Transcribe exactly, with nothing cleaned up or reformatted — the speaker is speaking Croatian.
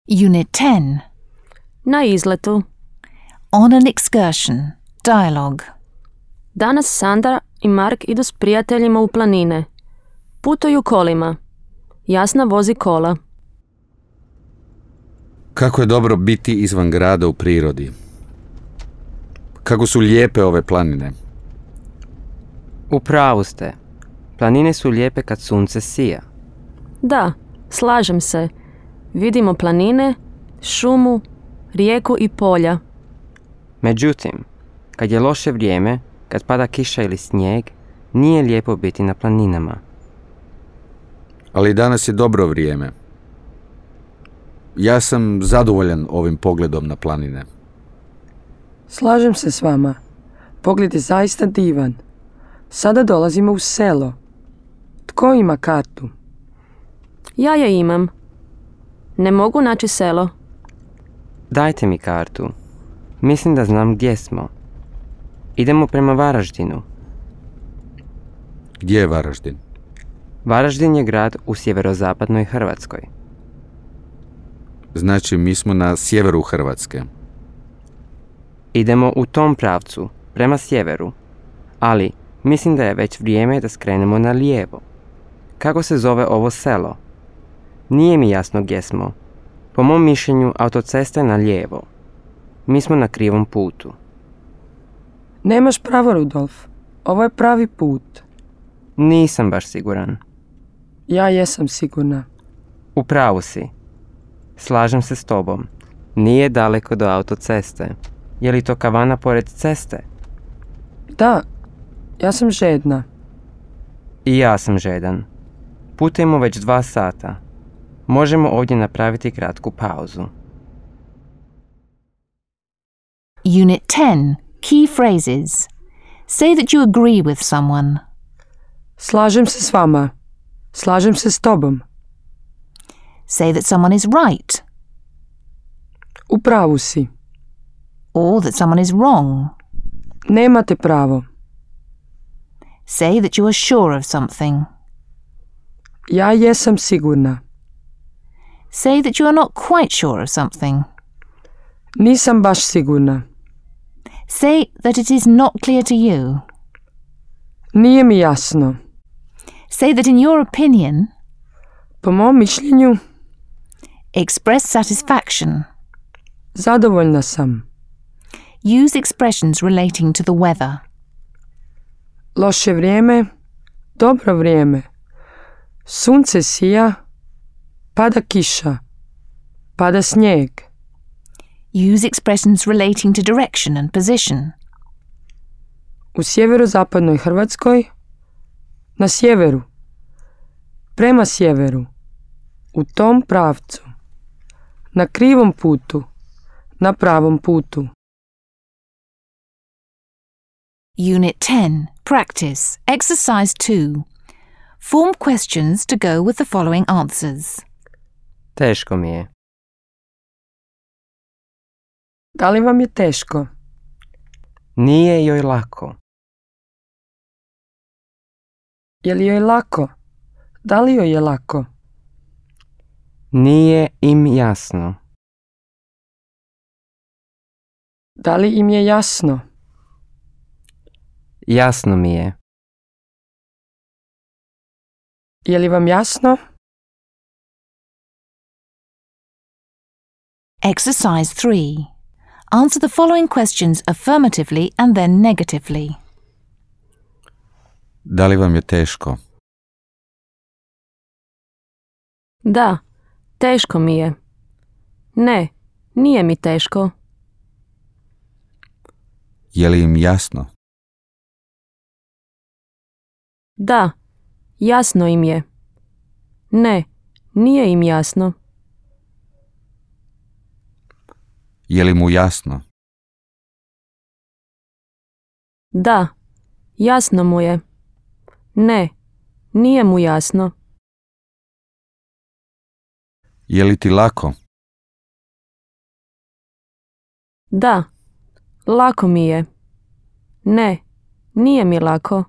Unit ten. Na izletu. On an excursion. Dialogue. Danas Sandra i Mark idu s prijateljima u planine. Putuju kolima. Jasna vozi kola. Kako je dobro biti izvan grada u prirodi. Kako su lijepe ove planine. U pravu ste. Planine su lijepe kad sunce sija. Da, slažem se. Vidimo planine, šumu, rijeku i polja. Međutim, kad je loše vrijeme, kad pada kiša ili snijeg, nije lijepo biti na planinama. Ali danas je dobro vrijeme. Ja sam zadovoljan ovim pogledom na planine. Slažem se s vama. Pogled je zaista divan. Sada dolazimo u selo. Tko ima kartu? Ja je imam. Ne mogu naći selo. Dajte mi kartu. Mislim da znam gdje smo. Idemo prema Varaždinu. Gdje je Varaždin? Varaždin je grad u sjeverozapadnoj Hrvatskoj. Znači, mi smo na sjeveru Hrvatske. Idemo u tom pravcu, prema sjeveru. Ali mislim da je već vrijeme da skrenemo na lijevo. Kako se zove ovo selo? Nije mi jasno gdje smo. Po mom mišljenju, autocesta je na lijevo. Mi smo na krivom putu. Nemaš pravo, Rudolf. Ovo je pravi put. Nisam baš siguran. Ja jesam sigurna. U pravu si. Slažem se s tobom. Nije daleko do autoceste. Je li to kavana pored ceste? Da, ja sam žedna. I ja sam žedan. Putujemo već dva sata. Možemo ovdje napraviti kratku pauzu. Unit ten. Key phrases. Say that you agree with someone. Slažem se s vama. Slažem se s tobom. Say that someone is right. U pravu si. Or that someone is wrong. Nemate pravo. Say that you are sure of something. Ja jesam sigurna. Say that you are not quite sure of something. Nisam baš sigurna. Say that it is not clear to you. Nije mi jasno. Say that in your opinion. Po mom mišljenju. Express satisfaction. Zadovoljna sam. Use expressions relating to the weather. Loše vrijeme. Dobro vrijeme. Sunce sija. Pada kiša. Pada snijeg. Use expressions relating to direction and position. U sjeverozapadnoj Hrvatskoj. Na sjeveru. Prema sjeveru. U tom pravcu. Na krivom putu. Na pravom putu. Unit ten. Practice. Exercise two. Form questions to go with the following answers. Teško mi je. Da li vam je teško? Nije joj lako. Je li joj lako? Da li joj je lako? Nije im jasno. Da li im je jasno? Jasno mi je. Je li vam jasno? Exercise three. Answer the following questions affirmatively and then negatively. Da li vam je teško? Da, teško mi je. Ne, nije mi teško. Je li im jasno? Da, jasno im je. Ne, nije im jasno. Je li mu jasno? Da, jasno mu je. Ne, nije mu jasno. Je li ti lako? Da, lako mi je. Ne, nije mi lako.